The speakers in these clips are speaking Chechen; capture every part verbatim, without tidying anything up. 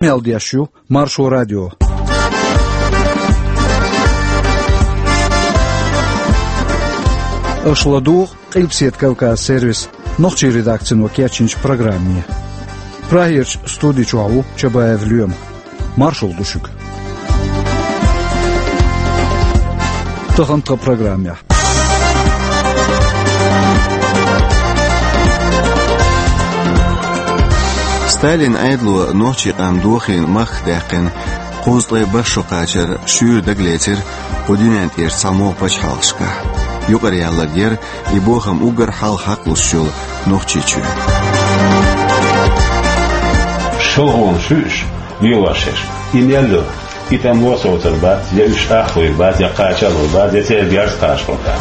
Къамел деш ю Маршо радио. Аша ладугӀу Къилбаседа Кавказ сервисан нохчийн редакцино кечйинчу программе. Прагерчу студи чохь ву Чабаев Лоьма. Маршалла ду шуьга. Тахана тхан программехь. Сталинан Ӏедало нохчийн къам дохийна махках даьккхина кхузткъе бархӀ шо кхачар шуьйра дагалецира кху дуьнен тӀерачу цхьамогӀа пачхьалкхашкахь. Юкъараяьлларг яра и бохам уггар хьалха хьакхалуш йолу Нохчийчоь. ШолгӀанаш ю уьш, лелош ерш. И мел ю? И тӀом лоцур бац, я уьш ахлур бац, я кхачалур бац, я церан герз кхачалур бац.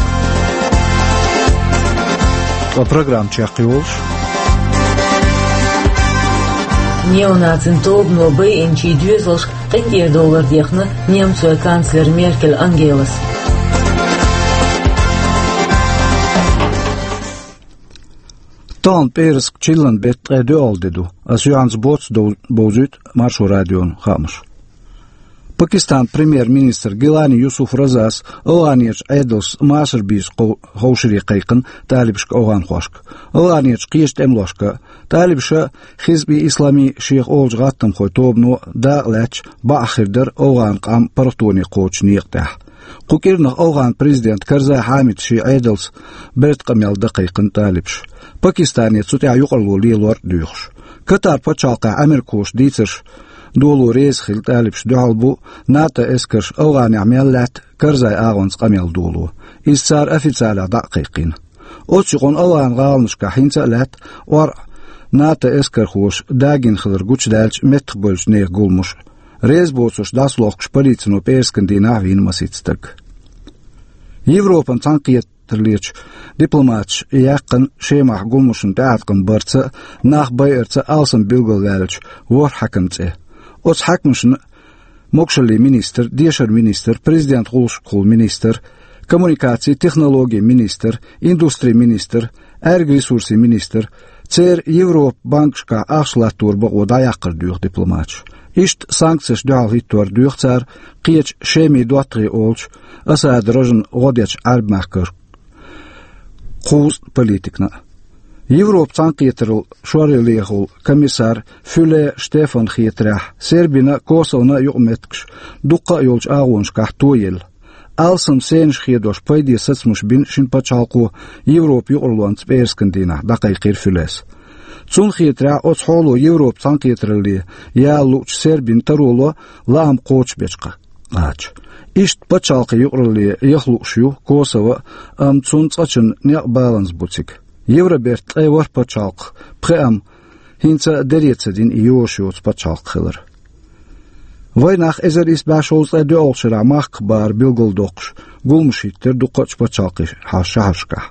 Ткъа программа чекхйолуш. Неонацийн тобано байинчийн доьзалшка къинтӀера довлар дехна немцойн канцлера Меркель Ангелас. Тахана пӀераска чиллан беттан ткъе доьалгӀа де ду. Ас юьхьанца боццу дов-, бовзуьйту Маршо радион хаамаш. Пакистанан премьер-министр Гилани Юсуф Разас АвгӀанерчу Ӏедалца машар бийца кхов-, ховшаре кхайкхина талибашка, авгӀанхошка, АвгӀанерчу кхечу тӀемалошка а, талибаша а, Хизби Ислами шех олучу гӀаттамхойн тобано дакъа лаьтташ бакъ хир дара авгӀан къам паргӀатоне кхочучу некъа тӀехь. Кху кӀирнах авгӀан президент Карзай Хьамида шен Ӏедалца беркат къамел дан кхайкхина талибаша, Пакистане цу тӀехь юкъарло лелор а доьхуш. Катар пачхьалкхехь Ӏамеркахоша дийцарш доло реза хилла талибашна дуьхьал бу НАТО эскарш авгӀанехь мел лаьтта Карзайн агӀонца къамел доло. Иза цара официалехь дӀа а кхайкхийна. Оццу юкъанна авгӀан гӀаланашкахь хӀинца а лаьтта ОрӀа НАТО эскархоша дагийна хилар гучудаьлча меттахбевллачу нехан гуламаш. Реза боцурш дӀасалохкуш полицино пӀераскан дийнахь вийна масийтта стаг. Европан цхьаьнакхетараллерчу дипломаташа яьккхина Шемахь гуламашна тӀеӀаткъам барца а, нах байарца а алсам билгалваьллачу ворхӀ хьаькаман цӀе. Оцу хьаькамашна могушаллин министр, дешаран министр, президентан гӀуллакхашкахула министр, коммуникацийн, технологийн министр, индустрин министр, Ӏаьрган ресурсийн министр, церан Европан банкашкахь ахча латтор бакъо дӀаяккхар доьху дипломаташа. Иштта санкцешна дуьхьал хӀиттор доьху цара кхечу Шемин доттагӀий олучу Асадан рожана гӀо дечу Ӏаьрбийн мехкара кхузткъа политикана а. Европан цхьаьнакхетараллин шоръялехула комиссар Фюле Штефанна хетарехь, Сербина а, Косовона а юкъаметтигаш дуккха а йолчу агӀонашкахь тоелла. Алсам сенаш хедош пайде сацамаш бина шина пачхьалкхо Европан юкъарлонца пӀераскан дийнахь, дӀакхайкхийра Фюлес. Цунна хетарехь, оцу хьоло Европан цхьаьнакхетаралле яла луучу Сербина таро ло лаам кхочушбечу кхача. Иштта пачхьалкхийн юкъаралле яха лууш ю Косово а, амма цунна цкъачунна некъ баланза бу цига. Евробертан ткъе ворхӀ пачхьалкхах пхеа-м хӀинца а дере ца дина и йозуш йоцу пачхьалкх хилар. Вайн нах эзар исс бӀе шовзткъе доьалгӀачу шарахь махках бахар билгалдоккхуш, гуламаш хӀиттира дуккхачу пачхьалкхийн шахьаршкахь.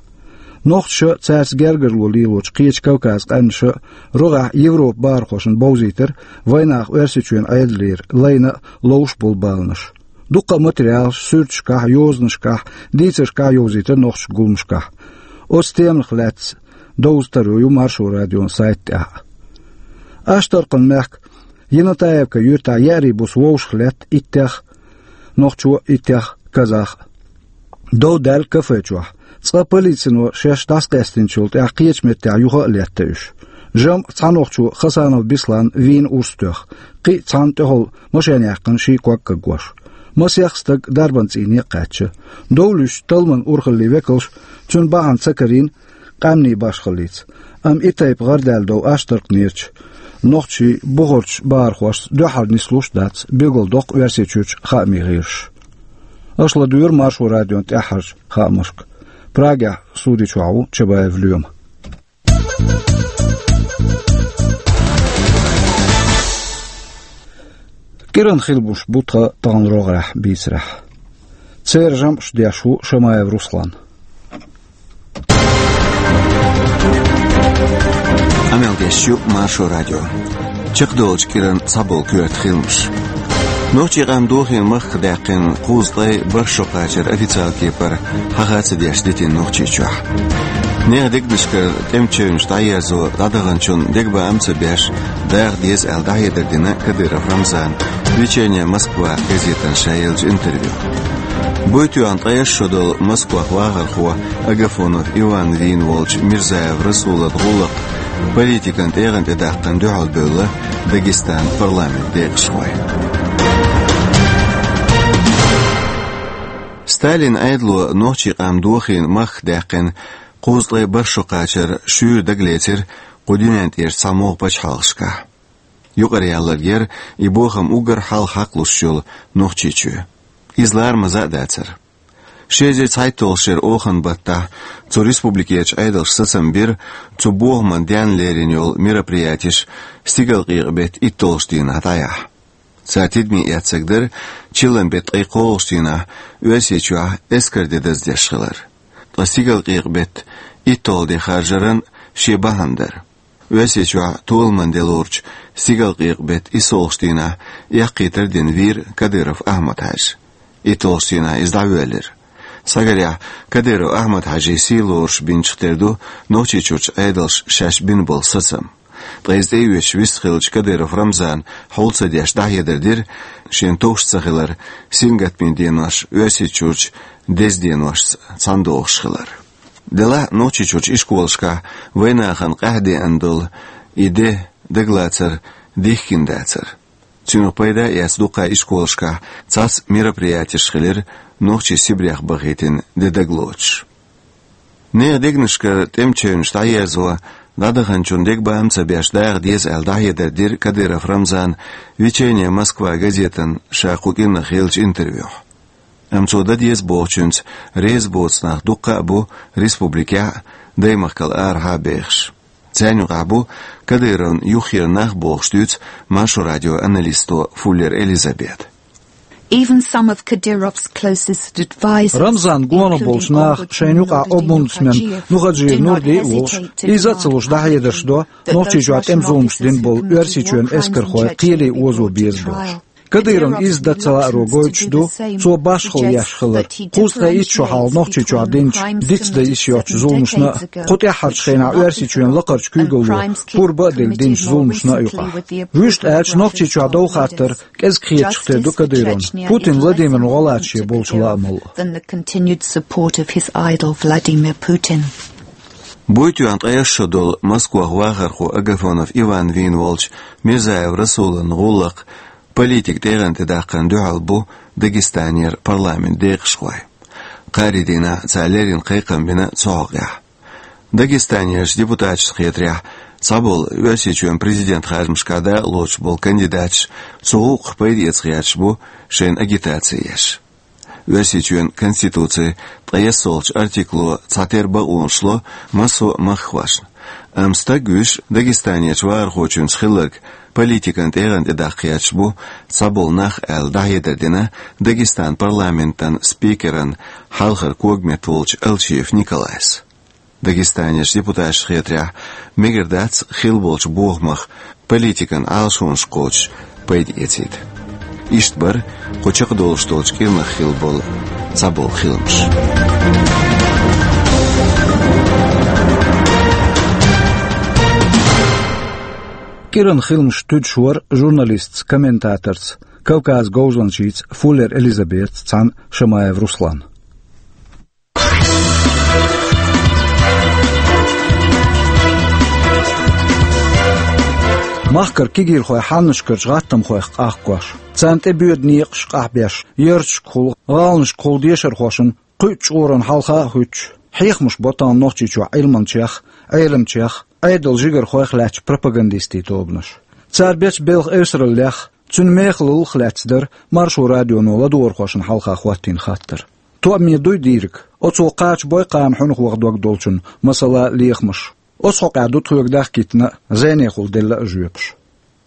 Нохчаша а, цаьрца гергарло лелочу кхечу Кавказан къаьмнаша а рогӀехь Европан бахархошна бовзийтира вайн нах Оьрсийчоьнан Ӏедалера лайна а, ловш а болу баланаш. Дуккха а материалаш суьрташкахь, йозанашкахь, дийцаршкахь йовзийтира нохчашка гуламашкахь. Оцу теманах лаьцна довза таро ю Маршо радион сайта тӀехь а. Аштаркхан мехкан Енотаевка юьртахь еарин буса вовшах летта иттех нохчо а, иттех казах а. Дов даьлла кафе чохь. Цкъа полицино шаьш дӀасакъаьстинчул тӀаьхьа кхечу меттехь юха а летта уьш. ЖамӀ цхьа нохчо Хасанов Беслан вийна урс тоьхна, кхин а цхьанна тӀехула машен яьккхина ший ког кагош. Масех стаг дарбан цӀийне а кхаьчна. Дов луьстучу талламан урхаллин векалша цуьнан бахьана ца карийна къаьмнийн башхаллица. Амма и тайпа гӀардаьлла дов Аштаркханерчу нохчийн бухарчу бахархошца дуьххьара нислуш а дац, билгалдоккху Оьрсийчуьрчу хаамийн гӀирсаша. Аша ладуьйгӀира Маршо радион тӀаьххьарчу хаамашка. Прагехь студи чохь ву Чабаев Лоьма. КӀиран хилбуш бу тхан тахана рогӀехь бийцарехь. Церан жамӀаш деш ву Шамаев Руслан. Къамел деш ю Маршо радио. Чекхдолчу кӀиран цхьаболу коьрта хиламаш. Нохчийн къам дохийна махках даьккхина кхузткъе бархӀ шо кхачар официалан кепара хьаха а ца деш дитина Нохчийчохь. Нехан дегнашкара тӀеман чевнаш дӀаерзо дӀадаханчун дегабаам ца беш, даха деза аьлла дӀахьедар дина Кадыров Рамзана «Вечерняя Москва» газетана ша еллачу интервьюхь. Буй тоьхна ткъаесна шо долу Москвахь вахархо Агафонов Иван вийна волчу Мирзаев Расулан гӀуллакх политикан тӀегӀан тӀе даккхарна дуьхьал бевлла Дагестанан парламентан декъашхой. Сталинан Ӏедало нохчийн къам дохийна махках даьккхина кхузткъе бархӀ шо кхачар шуьйра дагалецира кху дуьнен тӀерачу цхьамогӀа пачхьалкхашкахь. Юкъара ялларг яра и бохам уггар хьалха хьакхалуш йолу Нохчийчоь. Иза ларамаза а дацара. Ши эзар цхьайтталгӀачу шеран оханан баттахь цу республикерчу Ӏедалша сацам бира цу бохаман денна лерина йолу мероприятеш стигалкъекъа беттан итталгӀачу дийнахь дӀаяхьа. Цара тидаме эцнарг дара чиллан беттан ткъе кхоалгӀачу дийнахь Оьрсийчохь эскар де даздеш хилар. Ткъа стигалкъекъа беттан итталгӀа де харжаран шен бахьана дара. Оьрсийчохь толаман де лоручу стигалкъекъа беттан иссалгӀачу дийнахь эккхийтар а дина вийра Кадыров Ахьмад-Хьаьжа. ИтталгӀачу дийнахь иза дӀавоьллира. Схьагарехь, Кадыров Ахьмад-Хьаьжин сий лоруш бинчух тера ду Нохчийчуьрчу Ӏедалша шаьш бина болу сацам. Ткъа иза тӀеоьцуш вистхиллачу Кадыров Рамзана хьул ца деш дӀахьедар дира, шен товш ца хилар сингаттамийн денош Оьрсийчуьрчу деза деношца цхьаьна догӀуш хилар. Делахь а Нохчийчуьрчу ишколашкахь вайнахана къаьхьа деана долу и де дагалацар дихкина дацара. Цунах пайда а эцна дуккха ишколашкахь цхьацца мероприятеш хилира нохчий Сибрех бахийтина де дагалоцуш. Нехан дегнашкара тӀеман чевнаш дӀаерзо дӀадаханчун дегабаам ца беш даха деза аьлла дӀахьедар дира Кадыров Рамзана «Вечерняя Москва» газетана ша кху кӀирнах еллачу интервьюхь. Амма цо дан деза бохучуьнца реза боцу нах дуккха а бу республикехь а, даймахкал арахьа а бехаш. Царна юкъахь бу Кадыровна юххера нах, бохуш дуьйцу Маршо радион аналисто Фуллер Элизабета. Even some of Kadyrov's closest advisors, Рамзан гонах болчу наха, шайна юкъахь омбудсмен Нухаджиев Нурди а волуш, иза а ца луш дӀахьедарш до, Нохчийчохь тӀеман зуламаш дина болу Оьрсийчоьнан эскархой кхеле озо беза бохуш. Кадыровна иза дан ца лааро гойтуш ду цо башхалла еш хилар кхузткъе итт шо хьалха Нохчийчохь динчу, дицдан йиш йоцчу зуламашна а, кху тӀаьххьарчу хенахь Оьрсийчоьнан лакхарчу куьйгалло пурба а делла динчу зуламашна а юкъахь. Вуьшта аьлча, Нохчийчохь дов хаттар кӀезиг хеташ хир ду Кадыровна. Путин Владимирна гӀо лаца шен болчу лаамал а. Than the continued support of his idol Vladimir Putin. Буй тоьхна ткъаесна шо долу Москвахь вахархо Агафонов Иван вийна волчу Мирзаев Расулан гӀуллакх политикан тӀегӀан тӀе даккхарна дуьхьал бу Дагестанера парламентан декъашхой. Кхаарин дийнахь цара леррина кхайкхам бина цу хьокъехь. Дагестанерчу депутаташна хетарехь, цхьаболу Оьрсийчоьнан президентан харжамашкахь дакъалоцуш болу кандидаташ цу гӀуллакхах пайда эца гӀерташ бу, шайна агитаци еш. Оьрсийчоьнан Конституцин ткъайоьссалгӀачу артикло цхьатерра бакъонаш ло массо а махкахошна. Амма стаг вуьйш Дагестанерчу вахархочуьнца хилларг политикан тӀегӀан тӀе даккха гӀерташ бу цхьаболу нах аьлла дӀахьедар дина Дагестанан парламентан спикеран хьалхара когаметта волчу Алчиев Николайс. Дагестанерчу депутаташна хетарехь, мегар дац хилла болчу бохамах политикан Ӏалашонаш кхочуш пайда эцийта. Иштта бара кху чекхдолуш долчу кӀирнах хилла болу цхьаболу хиламаш. КӀиран хиламаш туьдуш вара журналистца, комментаторца, Кавказан говзанчица Фуллер Элизабетаца цхьаьна Шамаев Руслан. Махкара кегийрхой хьаннашкарчу гӀаттамхойх къахкош, царна тӀе боьду некъаш къахьбеш, ярташкахула, гӀаланашкахула дешархошна кхуьучу чкъурана хьалха а хӀуьттуш, хьехамаш бо тахана Нохчийчохь Ӏилманчех, Ӏеламчех, Ӏедалан жигархойх лаьттачу пропагандистийн тобанаша. Цара бечу белхан эвсараллех, цуьнан мехаллах лаьцна дара Маршо радионо ладогӀархошна хьалха хӀоттийна хаттар. Тоъаме дуй дийриг, оцо кхача бой кхана хьуьнах ваха дог долчун, масала, лехамаш? Оцу хьокъехь ду тхоьга дахкийтина а, зӀенехула делла а жоьпаш.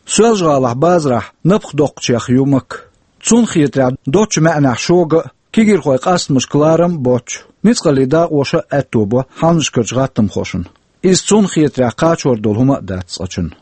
Соьлжа-ГӀалахь базарахь напха доккхучех ю Макка. Цунна хетарехь, доцчу маьӀнехь шога а, кегийрхойн къастамашка ларам а боццуш, ницкъаллийн дакъоша а аьтто бо хьаннашкарчу гӀаттамхошна. Иза цунна хетарехь кхачор долу хӀума а дац цкъачунна.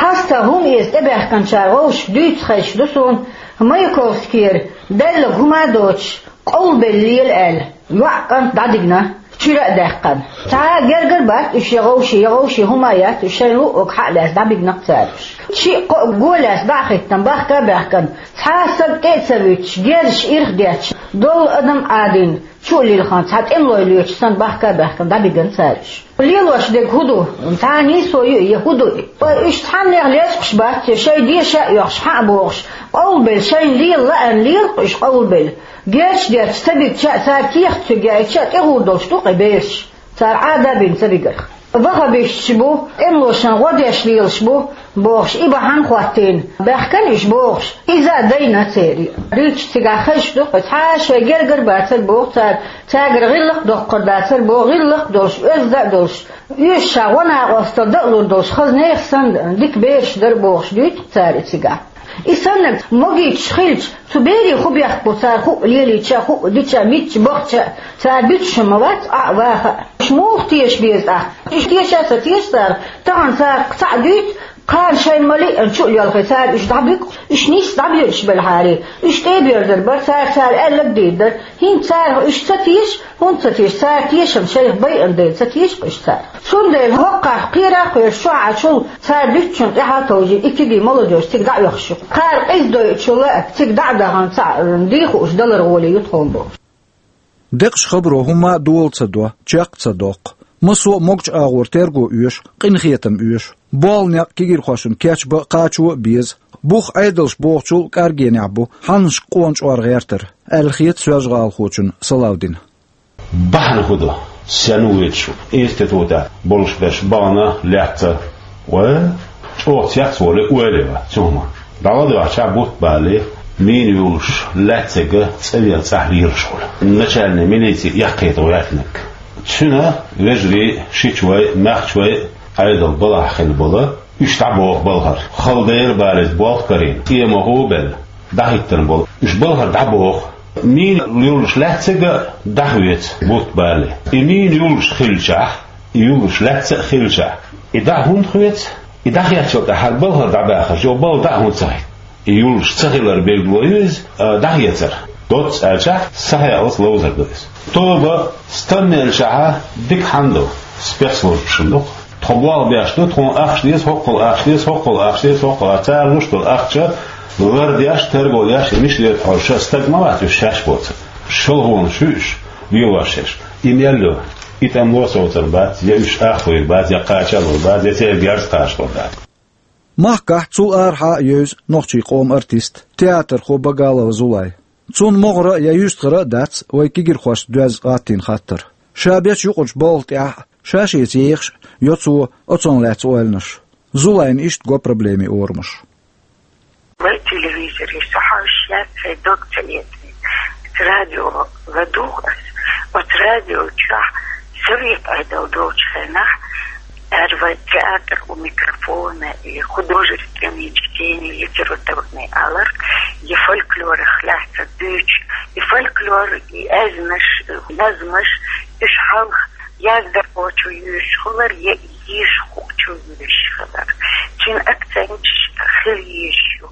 Хьаста хӀума эца тӀебаьхкинчара вовшашка дуьйцуш хезаш ду суна, Маяковскийра, делларг хӀума а доцуш, къовлабелла лела аьлла, йоӀ кӀант дӀадигна. Шира а даьккхина. Цхьа а гергара бац уьш, я гӀовши, я гӀовши хӀума яц уьш, шайн луъург хьа а лаьцна дӀабигна-кх цара уьш. Шиъ-кхоъ го лаьцна дӀа а хиттина, бахка а баьхкина, цхьа а саг тӀе а ца вуьтуш, герзаш ирх а детташ, долу адам Ӏадийна, чу а лилхина, цхьа тӀемалой лоьцуш санна, бахка а баьхкина дӀабигна цара уьш. Лелош дерг хӀун ду? Цхьа нийсо ю, я хӀун ду? Ткъа уьш цхьаннех лечкъаш бац, я шайн деша а оьхуш, хьа а бохуш, къовлабелла, шайна лела лаьарна лела-кх уьш къовлабелла. Герзаш детташ ца бигча а, цара кехат цуьнга яийча а, тӀегӀур долуш ду-кх и бераш, цара Ӏада а бина ца бигарх. Ваххабисташ бу, тӀемалошна гӀо деш лелаш бу, бохуш, и бахьана хӀоттийна, баьхкина уьш бохуш, иза а дайна церан. Дуьйцуш цигахь хезаш ду-кх, цхьа а шайн гергара бацар боху цара, цаьргара гӀиллакх а доккхур дацар боху, гӀиллакх а долуш, оьзда а долуш, оьшуш гӀо-накъосталла дан а лур долуш, хаза нехан санна, дика бераш дара бохуш дуьйцу-кх цара и цигахь. И саннарг могуьйтуш хилча, цу берийн хӀун бехк бу, цара хӀуъа лелийча а, хӀуъа дича а, мичча бахча а, цара буьтуш ма вац, Ӏа а ваха а. Уьш муха теша беза тӀаккха? Уьш теша а ца теша цара, тахана цара цхьаъ дуьйцу, кхана шайна ма-лиъна чу а лелхий, цара уьш дӀабуьгу, уьш нийсса дӀабоьдуш белахьара, уьш тӀе а боьрзур бара, цара, цара аьлларг а дийр дара. ХӀинца царах уьш ца теша, хӀунда ца теша, цара тешам шайх байина дела ца теша-кх уьш царах. Цундела хӀокхахь кхера а кхоьруш, чохь Ӏачул цара дуьтучунна тӀаьхьа а товжий, и кегий молодёжь цига дӀа а оьхуш ю. Кхара къиза дойучул а цига дӀа а дахана, цхьаъ дийна хууш далар гӀоле ю тхуна бохуш. Декъаш хабаро хӀумма а дола ца до, чекх а ца доккху. Массо а могучу агӀор терго оьшу, къинхетам оьшу. Болу некъ кегийрхошна кечбан а, кхачо а беза. Бух Ӏедалш бохучул а кӀоргенехь бу, хьаннашка къона чкъор гӀертар, аьлла хета соьлжагӀалахочунна Салавдина. Бахьана хӀун ду? Сенна ву вуьтуш институтехь болуш берш бахана лаьцна? Вай, чӀогӀа цецволу ойла ю цу хӀуманна. ДӀавадахьча бутт балале, мина юллуш лаьцнарг цӀа вен цӀахь лелаш хуьлу. Начальник милиции эккхийта гӀоьртинарг. Цуьнан вежарий, шичой, маьхчой Ӏедал балахь хилла болу, уьш дӀабоху балхара. Хала дера бала иза болх карийна, тӀе ма гӀо белла, дӀахӀиттина болу. Уьш балхара дӀабоху. Мина юллуш лаьцнарг а дӀахоьцу бутт балале. И мина юллуш хилчахь, и юллуш лаьцна а хилчахь, и дӀа хӀунда хоьцу? И дӀахецчул тӀаьхьа хӀара балхара дӀабаьхча, йо, балха дӀа хӀунда ца хӀиттина? И юллуш ца хилар билгало ю иза, а, дӀахецар. Доцца аьлчахь, сахьааллалц ловзар ду иза. Тоба, стаммелчахьа дика хьанна ду, спецслужбашна ду-кх. Тхо болх беш ду, тхуна ахча деза, хӀоккхул ахча деза, хӀоккхул ахча деза, хӀоккхул ахча. Цара луш долу ахча лардеш, терго деш, и мичара дерг хьожуш стаг ма вац уьш шаьш боцург. ШолгӀа хӀуманаш ю уьш, лелош шаьш. И мел ю, и тӀемало совцур бац, я уьш ах лур бац, я кхачалур бац, я церан герз кхачалур дац. Махкахь цул арахьа а евза нохчийн къоман артист, театрхо Багалова Зулай. Цунна могӀара а, я юьстахара а дац вай кегийрхошца доьзна гӀаттийна хаттар. Ша бечу юкъарчу балха тӀехь а, ша-шеца ехаш а йо цо оцунах лаьцна ойланаш. Зулайна иштта го проблемин орамаш. Вай телевизоре со хьожуш яц, сайн дог ца эцна. Радио ладугӀу ас. Оцу радио чохь совет Ӏедал долчу хенахь, аьлла, вай театр у микрофона и художественные чтения литературные алар, и фольклорах лаьцна дуьйцу, и фольклор, и аьзнаш, и назмаш, уьш хьалха яздархочо йоьшуш хилар, я йийшина хуучо йоьшуш хилар. Цуьнан акценташ хила йиш ю.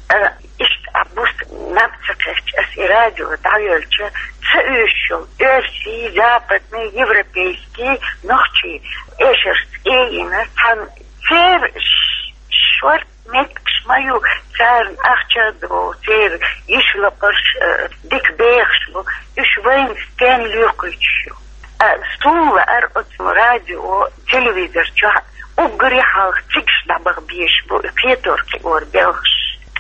А, иштта а бус наб ца кхаьчча, ас и радио дӀайолча, ца оьшуш йолу оьрсийн, западный, европейский, нохчийн эшарш цӀе йина, цхьана церан ш-, шорта меттигаш ма ю, царна ахча а догӀу, церан йиш лакхарш, э, дика бехаш бу, уьш вайна стенна лоькхуьйтуш ю. А, суна лаьара оцу радио, телевизор чохь уггаре хьалха цигахь дӀабаха безаш бу и кхетор-кхиор белхаш.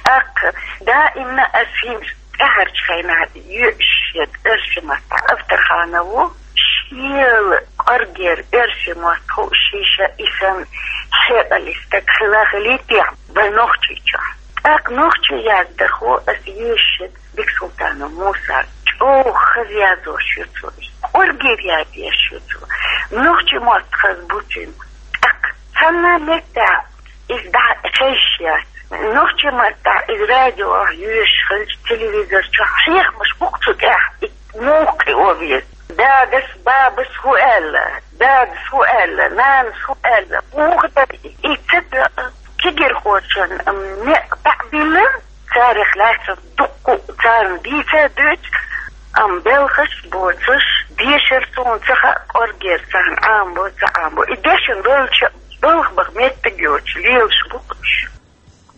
ТӀаккха даимна ас хӀинца тӀаьхьарчу хенахь йоьшуш ерг оьрсийн маттахь Авторханов ву, шел кӀоргера оьрсийн мотт хууш, шиша и санна хьекъале стаг хила хилийтехь вайн Нохчийчохь. ТӀаккха нохчийн яздархо ас йоьшуш ерг Бексултанов Муса, чӀогӀа хаза язъеш ю цо, кӀоргера язъеш ю цо. Нохчийн мотт хаза бу цуьнан. ТӀаккха цхьана меттехь иза дӀа хезаш яц. Нохчийн маттахь иза радиохь йоьшуш хилча, телевизор чохь хьехамаш бу-кх цу тӀехь, и муха кхио веза. Дадас, бабас хӀун аьлла? Дадас хӀун аьлла? Нанас хӀун аьлла? Муха дара и? И ца тоьа кегийрхошна, м, некъ дӀа а биллина, царах лаьцна дуккха а царна дийца а дуьйцу, амма белхаш боцуш, Дешар суна ца хаьа, кӀоргера царна Ӏамабо, ца Ӏамабо. И дешна долча, балха баха меттиг йоцуш, лелаш бу-кх уьш.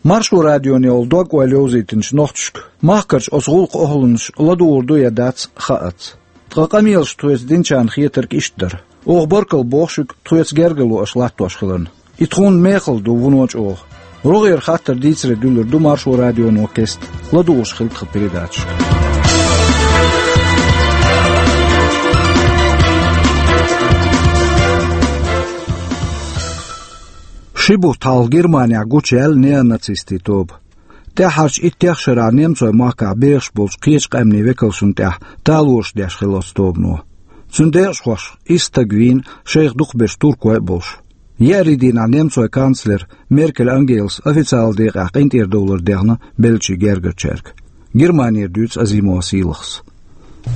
Маршо радионе волу дог-ойла йовзийтинчу нохчашка махкарчу оцу гӀуллакхан охӀланаш ладугӀур ду я дац, хаац. Ткъа къамелаш тхоьца динчарна хетарг иштта дара. Оха баркалла боху шуьга тхоьца гергарло аша латтош хиларна. И тхуна мехала ду вуно чӀогӀа. РогӀера хаттар дийцаре дуьллур ду Маршо радионо кеста. ЛадугӀуш хила тхан передачашка. Ши бутт хьалха Германехь гучуяьлла неонацистийн тоба. ТӀаьххьарчу иттех шарахь немцойн махкахь бехаш болчу кхечу къаьмнийн векалшна тӀехь талораш деш хилла оцу тобано. Цуьнан декъашхошха исс стаг вийна, шайх дукхахберш туркой а болуш. Еарин дийнахь немцойн канцлера Меркель Ангелас официалан декъехь къинтӀера довлар дехна беллачийн гергарчаьрга. Германера дуьйцу Азимова Сийлахьас.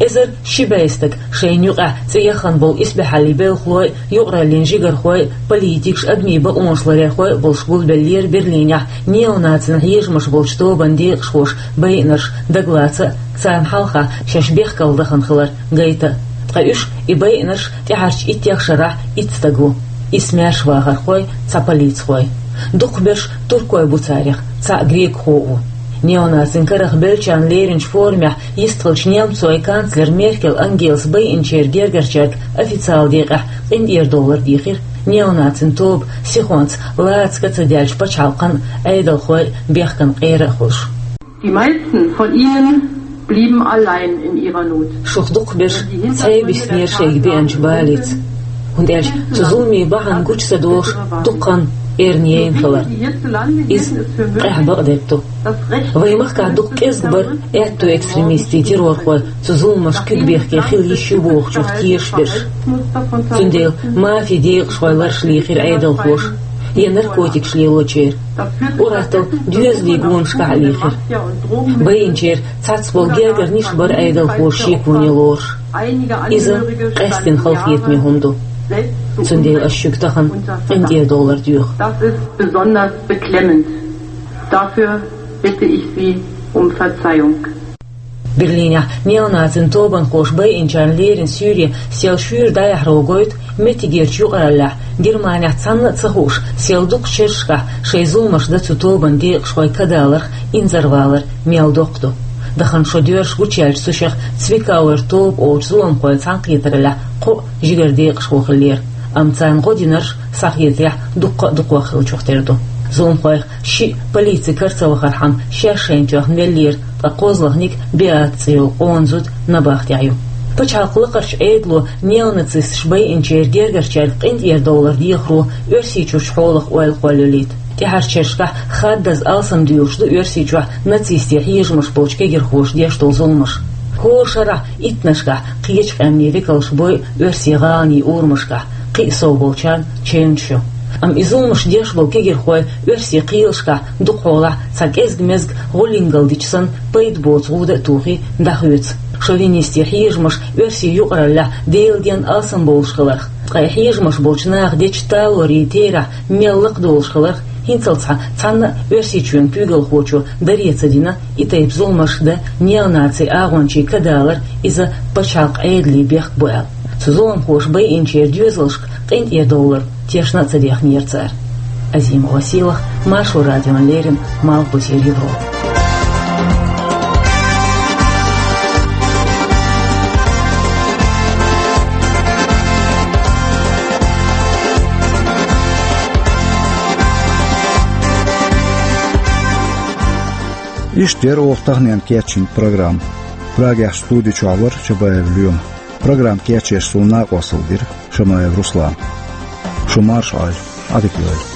Эзар ши бӀе стаг, шайна юкъахь цӀе яхана болу исбаьхьаллин белхалой, юкъараллин жигархой, политикаш, адамийн бакъонаш ларъярхой а болуш, гулбеллера Берлинехь неонацийн хьежамаш болчу тобанан декъашхоша байинарш дагалаца а, царна хьалха шаьш бехкалла дахана хилар гайта а. Ткъа уьш, и байинарш, тӀаьххьарчу иттех шарахь итт стаг ву. Исс маьрша вахархой, цхьа полицихой. Дукхахберш туркой бу царех, цхьаъ грекхо а ву. Неонацийн карах беллачарна леринчу форумехь йистхиллачу немцойн канцлера Меркель Ангелас байинчеран гергарчаьрга официалан декъехь къинтӀера довлар дийхира, неонацийн тоба сихонца лаца ка ца даьллачу пачхьалкхан а, Ӏедалхойн а бехкан къера а хуьлуш. Die meisten von ihnen blieben allein in ihrer Not. Шух дукхахберш цхьаъ биснера шайга беанчу балица, хӀунда аьлча цу зуламийн бахьана гучу ца долуш дукха хан эрна яйна хилар. Иза къаьхьа бакъдерг ду. Вайн махкахь дукха кӀезиг бара аьтту экстремистийн террорхой цу зуламашна куьг бехке хила йиш ю бохучух тешаш берш. Цундела мафин декъашхойн лараш лийхира Ӏедалхоша я наркотикаш лелочеран. Ур-атталла доьзалийн гонашкахь а лийхира. Байинчеран цхьацца болу гергара ниш бара Ӏедалхоша шеконе лоруш. Иза къаьсттина халахетаме хӀума ду. Цундела ас шуьга тахана къинтӀера довлар доьху. Das ist besonders beklemmend. Dafür bitte ich Sie um Verzeihung. Берлинехь неонацийн тобанхоша байинчарна лерина суьйре сел шуьйра дӀаяхьаро гойту меттигерчу юкъараллехь, Германехь цхьанна а ца хууш, сел дукхачу шерашкахь шайн зуламаш дан цу тобанан декъашхой кадаларх, инзарваларх мел доккха ду. Дахана шо доьрзуш гучуяьллачу цу шех Цвикауэр тоба олучу зуламхойн цхьаьнакхетараллехь кхо а жигара декъашхо хиллера, амма царна гӀо динарш, схьахетарехь, дуккха а дукхох хиллачух тера ду. Зуламхойх шиъ полицин кара ца вахархьама шаьш шайна тоьхна веллера, ткъа кхозлагӀниг Беата цӀе йолу къона зуда набахтехь ю. Пачхьалкхан лакхарчу Ӏедало неонацисташа байинчеран гергарчаьрга къинтӀера довлар дехаро Оьрсийчуьрчу хьолах ойла кхоллалийта. ТӀаьххьарчу шерашкахь хаддаза алсамдуьйлуш ду Оьрсийчохь нацистийн хьежамаш болчу кегирхоша деш долу зуламаш. ХӀора шарахь иттаннашкахь кхечу къаьмнийн векалш бойу оьрсийн гӀаланийн урамашкахь, кхин а сов болчарна чевнаш ю. Амма и зуламаш деш болу кегирхой оьрсийн кхелашкахь дукхахьолахь цхьа кӀезиг-мезиг гӀуллингалла дича санна пайда боцу гӀуда а тухий, дӀахоьцу. Шовинистийн хьежамаш оьрсийн юкъараллехь Делан денна алсамбовлуш хиларх, ткъа и хьежамаш болчу наха дечу талорийн терахь мел лакхадолуш хиларх, хӀинццалц цхьа цхьанна а Оьрсийчоьнан куьйгалхочо даре ца дина и тайпа зуламаш дан неонацийн агӀончийн кадалар, иза пачхьалкхан Ӏедалан бехк бу аьлла. Цу зуламхоша байинчеран доьзалшка къинтӀера довлар тешна а ца дехнера цара. Азимова Сийлахь, Маршо радиона леррина, Малхбузера Европа. Иштта яра оха таханлерчу программа. Прагехь студи чохь вара Чабаев Лоьма. Программа кечъеш суна накъосталла дира Шамаев Руслана. Шу марша Ӏойла, Ӏадика йойла.